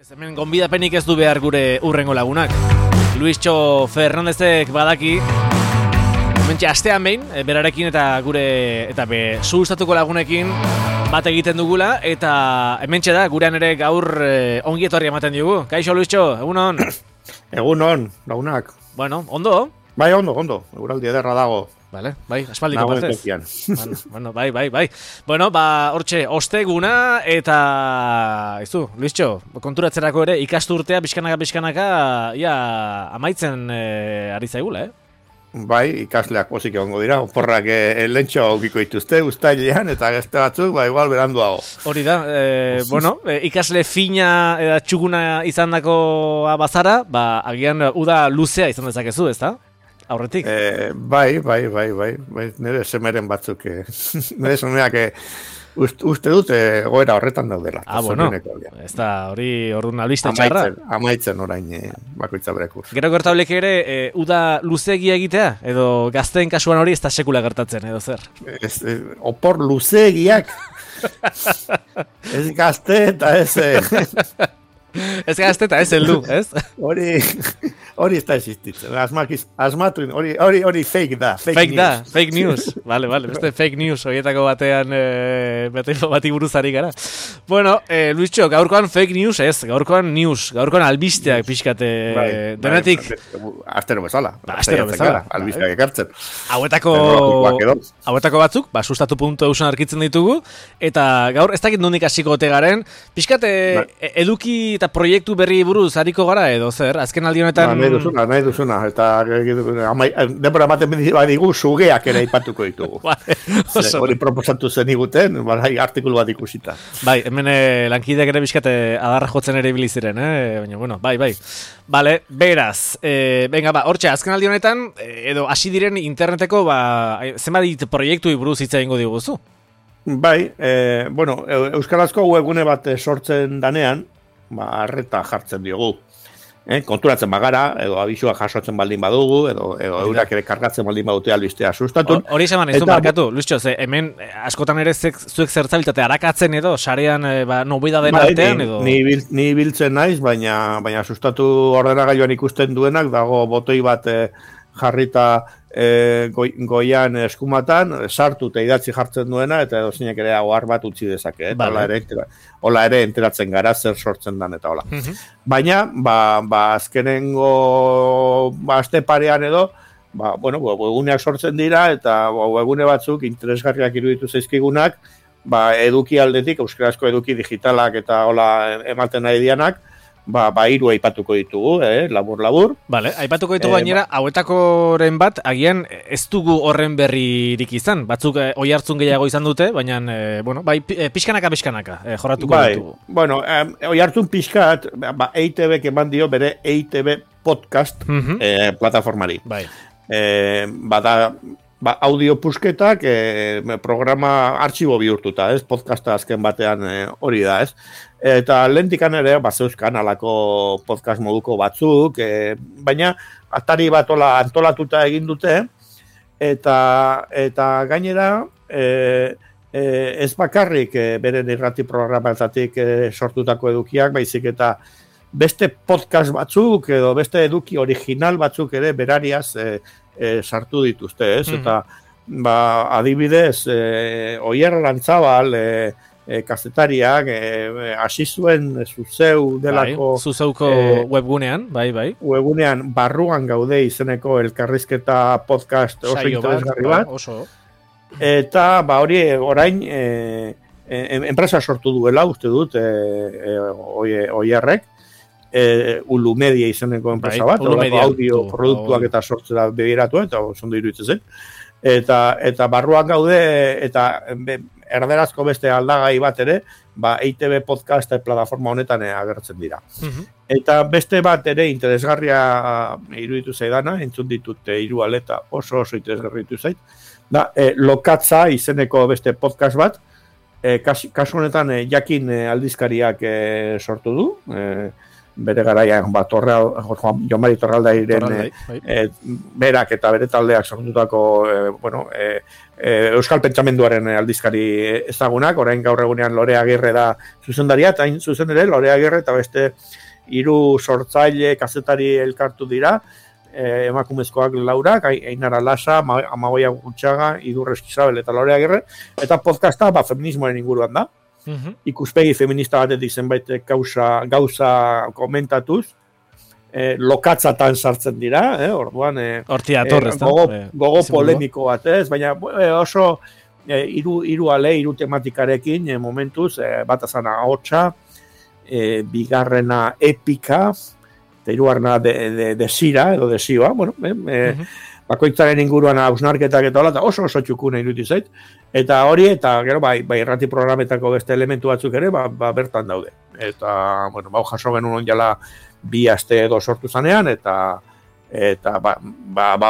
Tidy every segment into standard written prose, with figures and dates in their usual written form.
Hemen gonbidapenik ez du behar gure urrengo lagunak. Luistxo Fernandezek badaki hementxe astean behin, berarekin eta gure eta sustatuko lagunekin bat egiten dugula, eta hementxe da, gurean ere gaur ongi etorri ematen diogu. Kaixo Luistxo, egunon? Egunon, lagunak. Bueno, ondo? Bai, ondo. Eguraldi ederra dago. Vale, bai, aspaldiko partez. Bueno, bai. Bueno, hortxe, osteguna eta izu, Luistxo, konturatzerako ere ikasturtea pixkanaka ia amaitzen ari zaigula, Bai, ikasleak pozik egongo dira, oporrak lentxo aukiko dituzte, uztailean, eta gazte batzuk, igual beranduago. Hori da, bueno, ikasle fina eta txuguna izandako bazara, agian uda luzea izan dezakezu, ezta? Aurretik? Bai, nire semeren batzuk, nire semeak uste dut goera horretan daudela. Bueno, ez da, hori orduan albiste txarra. Amaitzen orain bakoitza berekur. Gero gertaulek ere, uda luzeegia egitea, edo gazteen kasuan hori ez da sekula gertatzen, edo zer? Opor luzeegiak, ez gazte eta ez... Ez gazte eta ez heldu, ez? Hori ez da existitzen. Asmatu, hori fake da. Fake news. Vale, beste fake news horietako batean bati buruzari gara. Bueno, Luistxo, gaurkoan fake news ez, gaurkoan albisteak pixkate denetik. Astero bezala. Albisteak ekartzen. Hauetako batzuk, sustatu.eusen arkitzen ditugu, eta gaur ez dakit nondik hasiko ote garen, pixkate eduki eta proiektu berri buruz hariko gara edo zer, azken aldi honetan... Nahi duzuna, eta denbora ematen badigu sugeak ere aipatuko ditugu. Hori proposatu zen iguten, artikulu bat ikusita. Bai, hemen lankideak ere bizkate adarra jotzen ere biliziren, baina, bueno, bai. Bale, beraz, venga, hortxe, azken aldi honetan, edo hasi diren interneteko, zenbat proiektu buruz hitza egingo diguzu? Bai, bueno, euskarazko webgune bat sortzen danean, arreta jartzen diogu. Konturatzen bagara, edo abisua jasotzen baldin badugu, edo eurak ere kargatzen baldin badute albistea sustatun. Hori esan ez du markatu, Luistxo, hemen askotan ere zuek zertzabiltate arakatzen edo, sarean nobidaden artean edo... Ni biltzen naiz, baina sustatu ordenagailuan ikusten duenak, dago botoi bat jarrita goian eskumatan, sartu eta idatzi jartzen duena, eta edo zinek ere ohar bat utzi dezake, hola ere enteratzen gara zer sortzen dan eta hola. Baina, azkenengo aste parean edo, webuneak sortzen dira, eta webune batzuk interesgarriak iruditu zaizkigunak, eduki aldetik, euskarazko eduki digitalak eta hola ematen nahi dianak, hiru aipatuko ditugu, labur. Vale, aipatuko ditugu gainera, hauetakoren bat, agian ez dugu horren berririk izan. Batzuk oihartzun gehiago izan dute, baina, pixkanaka jorratuko ditugu. Bueno, oihartzun pixkat, EITB eman dio bere EITB podcast plataformari. Bai. Audio pusketak programa artxibo bihurtuta, podcasta azken batean hori da, Eta lehentikan ere, zeuzkan alako podcast moduko batzuk, baina atari bat antolatuta egin dute, eta gainera, ez bakarrik beren irrati programatatik sortutako edukiak, baizik eta beste podcast batzuk, edo beste eduki original batzuk ere berariaz sartu dituzte, Eta adibidez, Oier Lantzabal, kazetariak hasi zuen Zuzeu delako Zuzeuko webgunean, bai. Webgunean barruan gaude izeneko elkarrizketa podcast oso interesgarri bat. Eta hori orain enpresa sortu duela, uste dut, Oierrek, Ulu Media izeneko enpresa bat, audio produktuak eta sortzera begiratu, eta oso ondo iruditzen zen. Eta barruan gaude, eta erderazko beste aldagai bat ere, EITB podcast plataforma honetan agertzen dira. Eta beste bat ere interesgarria iruditu zaidana, entzun ditut hiru aleta oso interesgarria iruditu zait, Lokatza izeneko beste podcast bat, kasu honetan jakin aldizkariak sortu du, bere garaian Jon Mari Torraldairen berak eta bere taldeak sortutako Euskal Pentsamenduaren aldizkari ezagunak, orain gaur egunean Lore Agirre da zuzendaria, eta hain zuzen ere Lore Agirre eta beste 3 sortzaile kazetari elkartu dira, emakumezkoak laurak, Ainara Lasa, Amagoia Gutxaga, Idurre Eskizabel eta Lore Agirre, eta podcasta feminismoaren inguruan da. Ikuspegi feminista batetik zenbait gauza komentatuz, lokatzatan sartzen dira, orduan gogo polemiko batez, baina oso hiru ale, 3 tematikarekin momentuz, bat azana ahotsa, bigarrena epika, eta 3. desira edo desioa, bakoitzaren inguruan hausnarketak eta hola, oso txukuna iruditu zait, eta hori, eta gero, bai irrati programetako beste elementu batzuk ere, bertan daude. Eta, jaso genuen jala 2 aste edo sortu zanean, eta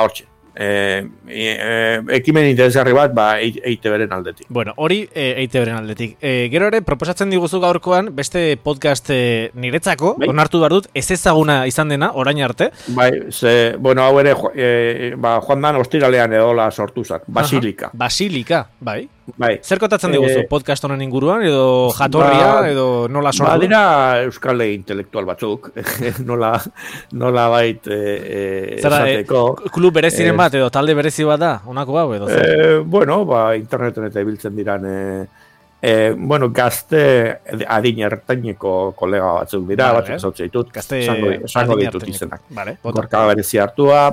hortxe. Ekimen interesgarri bat, EITB-ren aldetik. Bueno, hori EITB-ren aldetik. Gero ere, proposatzen diguzu gaurkoan, beste podcast niretzako, onartu behar dut, ez ezaguna izan dena, orain arte. Hau ere, joan dan ostiralean edola sortuzak, Basilika. Basilika, bai. Zer kotatzen diguzu, podcast honen inguruan, edo jatorria, edo nola sortu? Badira euskal intelektual batzuk, nola bait esateko. Klub bereziren bat, edo talde berezi bat da, honako hau, edo zer? Interneten eta ibiltzen diran, gazte adin ertaineko kolega batzuk dira, batzuk zautze ditut, esango ditut izenak. Gorka berezi hartua,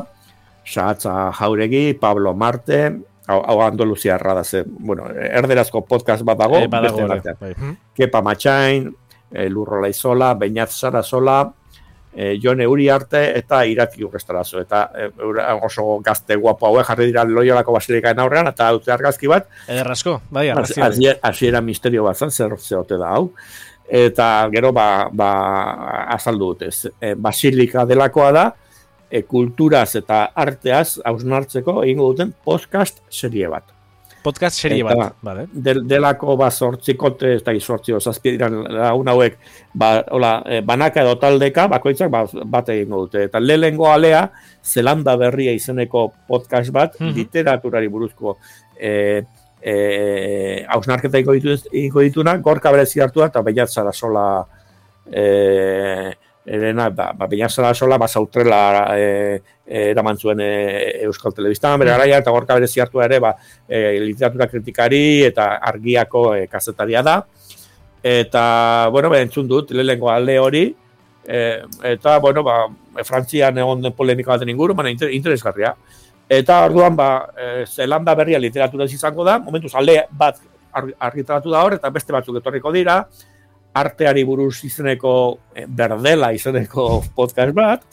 Sahatza Jauregi, Pablo Marte, hau Andaluziarra da ze, erderazko podcast bat dago, beste batean. Kepa Matxain, Lurrola Izola, Beñat Sarasola, Jon Uriarte eta Irati Urrestarazo. Eta oso gazte guapo hauek jarri dira Loiolako Basilikaen aurrean, eta dute argazki bat. Ederrazko, bai, argazki. Hasiera misterio bat zan, zer zeote da hau. Eta gero, azaldu dutez. Basilika delakoa da, kulturaz eta arteaz hausnartzeko egingo duten podcast serie bat. Podcast serie bat, bale. Delako 8 ez da 8 zazpi diran lagun hauek, banaka edo taldeka, bakoitzak bat egingo dute. Eta lehengo alea, Zelanda Berria izeneko podcast bat, literaturari buruzko hausnarketa egingo dituna, Gorka berezi hartu da, eta Beñat Sarasola Beñat Sarasola Sautrela eraman zuen Euskal Telebistan, bere garaia, eta Gorka berezi hartu ere literatura kritikari eta argiako kazetaria da. Eta, entzun dut, lehenko alde hori, eta, Frantzian egon den polemika baten inguru, interesgarria. Eta, orduan, Zelanda Berria literaturaz izango da, momentuz alde bat argitaratu da hor, eta beste batzuk etorriko dira, arteari buruz izeneko, Berdela izeneko podcast bat,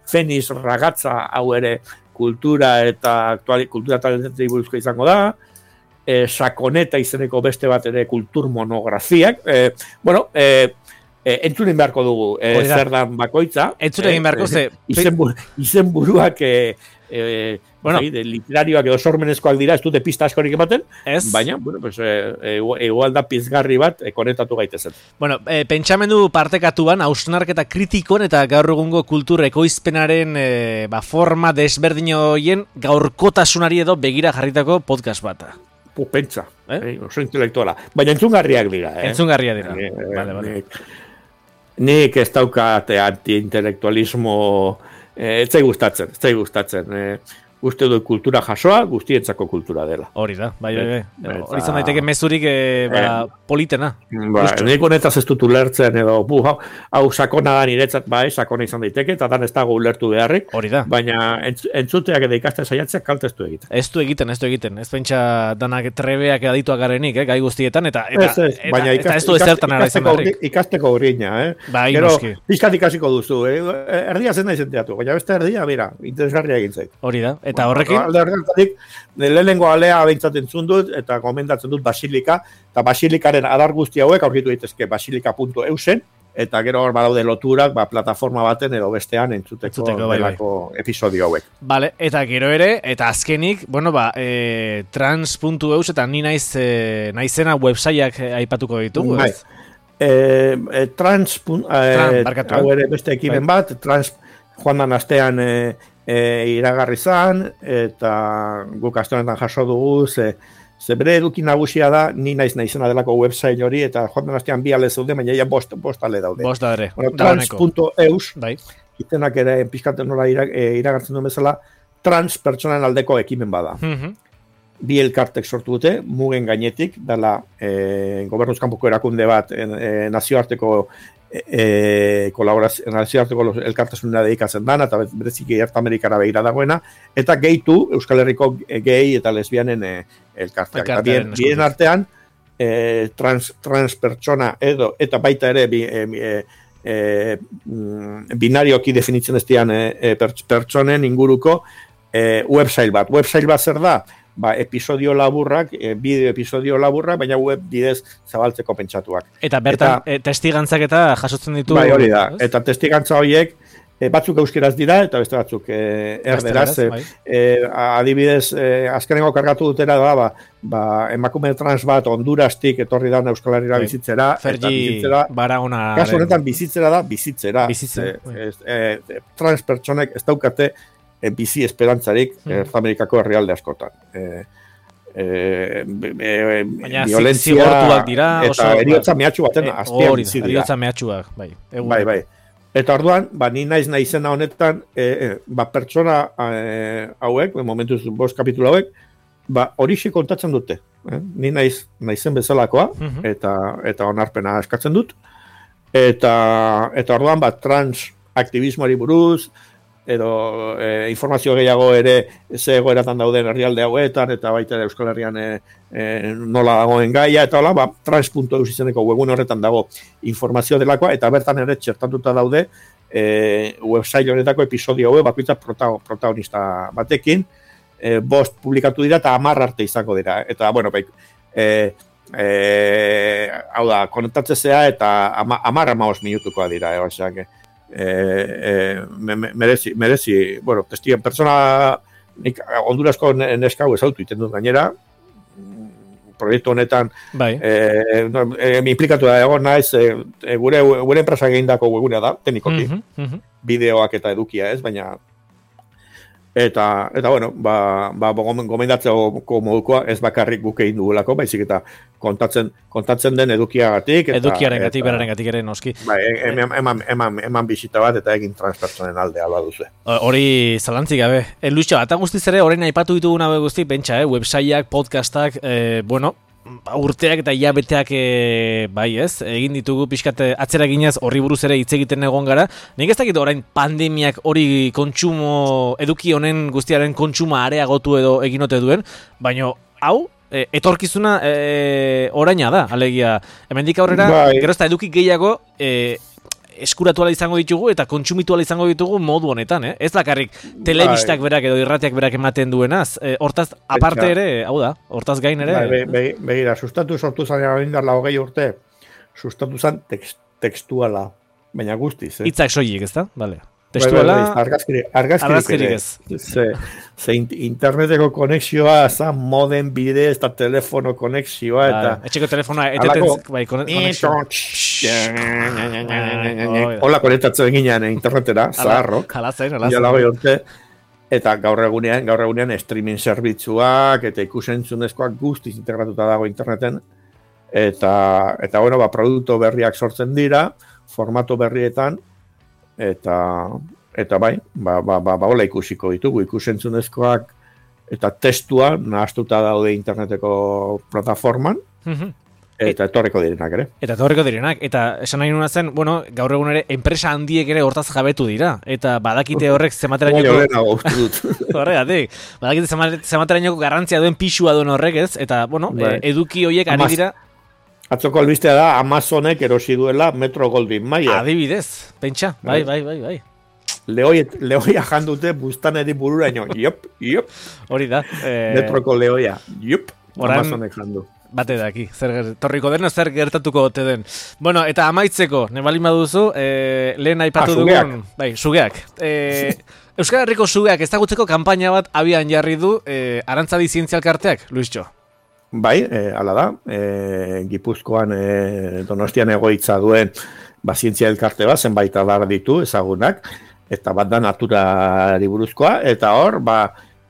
Feniz Ragatza hau ere kultura eta kultura talentetei buruzko izango da, Sakoneta izeneko beste bat ere kultur monografiak, entzunen beharko dugu zer dan bakoitza. Entzunen egin beharko ze... Izen buruak literarioak edo sormenezkoak dira, ez dute pista askorik ematen, baina, igual da pizgarri bat konektatu gaitezen. Pentsamendu partekatuan, hausnarketa kritikon eta gaur egungo kultur ekoizpenaren forma desberdin horien gaurkotasunari edo begira jarritako podcast bata. Pentsa, oso intelektuala. Baina entzungarriak dira. Entzungarriak dira. Vale. Nik ez daukat anti-intelektualismo, ez zai gustatzen. Uste du kultura jasoa, guztientzako kultura dela. Hori da, bai. Hori izan daiteke mezurik politena. Nik honetaz ez dut ulertzen edo, hau sakona da niretzat, sakona izan daiteke, eta dan ez dago ulertu beharrik. Hori da. Baina entzuteak edo ikasten saiatzeak kalte ez du egiten. Ez du egiten. Ez pentsa danak trebeak edadituak garenik, gai guztietan, eta ez du ezertan ara izan beharrik. Ikasteko urriña, Bai, gero, noski. Pizkat ikasiko duzu, erdia zen da izenteatu, baina beste erdia, mira, interesgarria egin zait. Hori da. Eta horrekin? Lehenengo alea behintzat entzun dut, eta komendatzen dut Basilika, eta Basilikaren adar guzti hauek aurkitu daitezke basilika.eusen, eta gero hor badaude loturak, plataforma baten edo bestean entzuteko episodio hauek. Vale, eta gero ere, eta azkenik, trans.eus eta ni naizena websaiak aipatuko ditugu, ez? hau ere beste ekimen bat, joan dan astean iragarri zan, eta guk aste honetan jaso dugu, ze bere eduki nagusia da, ni naizena delako website hori, eta joan dan astean 2 ale zeude, baina ja bost ale daude. Bost da ere. Trans.eus, izenak ere pizkaten nola iragartzen duen bezala, trans pertsonan aldeko ekimen bada. Bi elkartek sortu dute, mugen gainetik, dela gobernuz kanpoko erakunde bat nazioarteko nazioarteko elkartasunera dedikatzen dana, eta bereziki Erta Amerikara begira dagoena, eta gehitu Euskal Herriko gehi eta lesbianen elkarteak. Bien artean, trans pertsona edo, eta baita ere binarioki definitzen ez dian pertsonen inguruko website bat. Website bat zer da? Episodio laburrak, bideo episodio laburrak, baina web bidez zabaltzeko pentsatuak. Eta bertan, testigantzak eta jasotzen ditu... Bai, hori da. Eta testigantza horiek, batzuk euskeraz dira, eta beste batzuk erderaz. Adibidez, azkenengo kargatu dutera da, emakume trans bat Hondurastik etorri da Euskal Herrira bizitzera. Fergi Baragona. Kasu honetan bizitzera da, bizitzera. Trans pertsonek ez daukate bizi esperantzarik Amerikako herrialde askotan. Violentzia eta eriotza mehatxu baten azpian bizi dira. Eriotza mehatxuak, bai. Bai. Eta orduan, ni naizena honetan, pertsona hauek, momentuz 5 kapitulu hauek, horixe kontatzen dute. Ni naizen bezalakoa, eta onarpena eskatzen dut. Eta orduan, trans aktivismoari buruz, edo informazio gehiago ere ze egoeratan dauden herrialde hauetan, eta baita ere Euskal Herrian nola dagoen gaia, eta hola, trans.eus izeneko webun horretan dago informazio delakoa, eta bertan ere txertatuta daude website honetako episodio hauek bakoitza protagonista batekin, 5 publikatu dira eta 10 arte izango dira. Eta, bueno, hau da, konektatzea eta 10-15 minutukoa dira, oseak, merezi, bueno, testigan persona Hondurasko neska hau ezautu iten dut gainera, proiektu honetan implikatu da egon naiz, gure enpresa egindako webunea da, teknikoki, bideoak eta edukia ez, baina eta bueno, gomendatzeko modukoa ez bakarrik guk egin dugulako, baizik eta kontatzen den edukiagatik. Edukiarengatik, berarengatik ere noski. Eman bisita bat eta egin transpertsonen alde alba duzu. Hori zalantzik gabe. Luitxo, eta guztiz ere, orain aipatu ditugun hau guzti, pentsa, websaiak, podcastak, bueno, urteak eta hilabeteak egin ditugu pixkat atzera ginez horri buruz ere hitz egiten egon gara. Nik ez dakit orain pandemiak hori kontsumo, eduki honen guztiaren kontsuma areagotu edo eginote duen, baina hau, etorkizuna oraina da, alegia. Hemendik aurrera, gero ez da eduki gehiago eskuratu ala izango ditugu eta kontsumitu ala izango ditugu modu honetan, ez bakarrik telebistak berak edo irratiak berak ematen duenaz, hortaz aparte ere, hau da, hortaz gain ere. Begira, sustatu sortu zanean indarla 20 urte, sustatu zan tekstuala, baina guztiz. Hitzak soilik, ez da? Vale. Testuala... Argazkirik ez. Ze interneteko konexioa, za modem bidez eta telefono konexioa eta... Etxeko telefonoa eteten... Hola konektatzen ginean internetera, zaharrok. Halazen. Eta gaur egunean streaming zerbitzuak eta ikusentzunezkoak guztiz integratuta dago interneten. Eta bueno, produktu berriak sortzen dira, formato berrietan, eta bai, hola ikusiko ditugu, ikusentzunezkoak eta testua nahastuta daude interneteko plataforman, eta etorreko direnak ere. Eta esan nahi nuna zen, bueno, gaur egun ere, enpresa handiek ere hortaz jabetu dira, eta badakite horrek zematerainoko... Horregatik, badakite zematerainoko garrantzia duen pixua duen horrek ez, eta, bueno, eduki horiek ari dira... Atzoko albistea da Amazonek erosi duela Metro Goldwyn Mayer. Adibidez, pentsa, bai. Lehoia jandute bustaneri bururaino, iop. Hori da. Metroko lehoia, iop, Amazonek jandu. Bate daki, torriko den, zer gertatuko ote den. Bueno, eta amaitzeko, nebalin baduzu, lehen aipatu dugun... Bai, sugeak. Euskal Herriko sugeak ezagutzeko kanpaina bat abian jarri du Arantzadi Zientzialkarteak, Luisxo. Bai, hala da, Gipuzkoan Donostian egoitza duen zientzia elkarte bat, zenbait adar ditu ezagunak, eta bat da naturari buruzkoa, eta hor,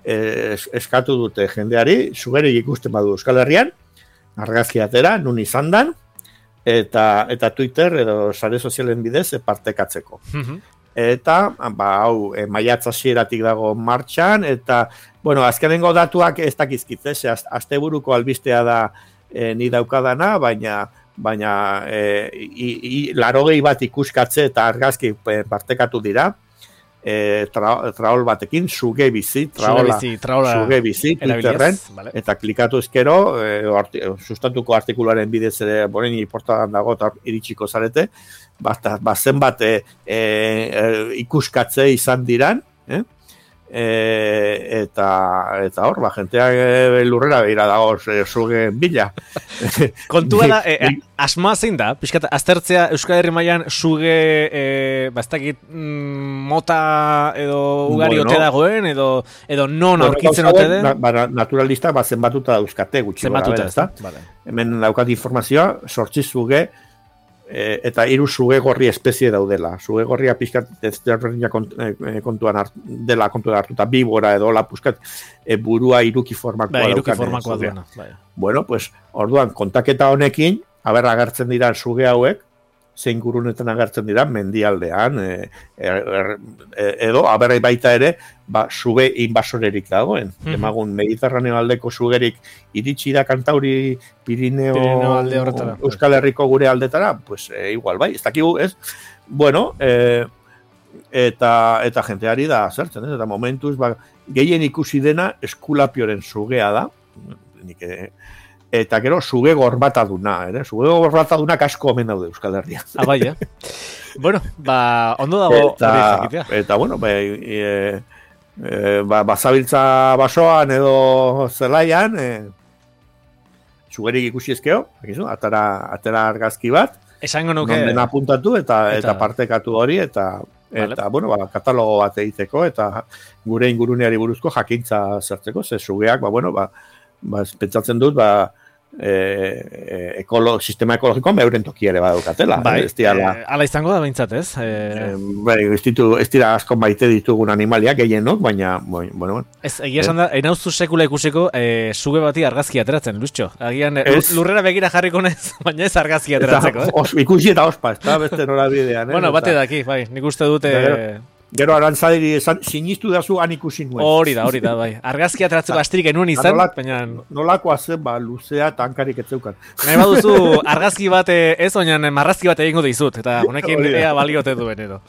eskatu dute jendeari, sugerik ikusten badu Euskal Herrian, argazki atera, nun izan dan, eta Twitter edo sare sozialen bidez partekatzeko. Eta, hau, maiatz hasieratik dago martxan, eta, bueno, azkenengo datuak ez dakizkitze, asteburuko albistea da ni daukadana, baina 80 bat ikuskatze eta argazki partekatu dira, traol batekin, suge bizi, suge bizi, Twitterren, vale. Eta klikatu ezkero, sustatuko artikuluaren bidez ere, boren portadan dago, eta iritsiko zarete, zenbat ikuskatze izan diran, eta hor, jenteak lurrera behira dago suge bila. Kontua da, asma zein da, pixkat, aztertzea Euskal Herri mailan suge, bastakit, mota edo ugari ote dagoen, edo non aurkitzen ote den? Naturalista, zenbatuta dauzkate gutxi. Zenbatuta, ez da? Hemen daukat informazioa, 8 suge, eta 3 suge gorri espezie daudela. Suge gorria pixkat kontuan hartuta, bibora edo lapuskat burua iruki formakoa duena. Bueno, pues, orduan, kontaketa honekin, agertzen dira suge hauek, zein gurunetan agertzen dira, mendialdean, edo, baita ere, suge inbasorerik dagoen. Emagun, Mediterraneo aldeko sugerik iritsi da Kantauri, Pirineo alde horretara. Euskal Herriko gure aldetara, pues, igual, bai, ez dakigu, ez? Bueno, eta jenteari da zertzen, eta momentuz, gehien ikusi dena eskulapioren sugea da, eta gero suge gorbataduna, suge gorbataduna asko omen daude Euskal Herria. Bai, bueno, ondo dago hori jakitea. Eta, bueno, bazabiltza basoan edo zelaian, sugerik ikusi ezkeo, atera argazki bat, esango nuke non dena apuntatu eta partekatu hori, eta bueno, katalogo bat egiteko, eta gure inguruneari buruzko jakintza zertzeko, ze sugeak, pentsatzen dut, sistema ekologikoan euren toki ere badaukatela. Hala izango da behintzat, ez? Ez dira asko maite ditugun animaliak, gehienok, baina, bueno. Ez, egia esan da, enauzu sekula ikusiko suge bati argazki ateratzen, Luistxo. Agian lurrera begira jarriko nez, baina ez argazki ateratzeko. Ikusi eta ospa, ez da beste nola bidean. Bueno, bate daki, bai, nik uste dute... Gero arantzadiri esan, sinistu dazu han ikusi nuen. Hori da, bai. Argazki ateratzeko astirik enuen izan, baina... Nolakoa zen, luzea eta hankarik etzeukan. Nahi baduzu argazki bat ez, oinan marrazki bat egingo dizut, eta honekin ea baliote duen edo.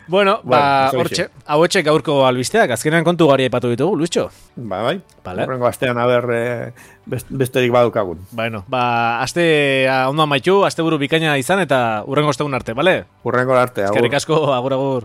Bueno, hortxe, hauetxe gaurko albisteak, azkenean kontu gari aipatu ditugu, Luistxo? Bai. Horrengo astean besterik badukagun. Bueno, astea ondo amaitu, aste buru bikaina izan, eta urrengo ostegun arte, bale? Urrengo arte, agur. Eskerrik asko, agur.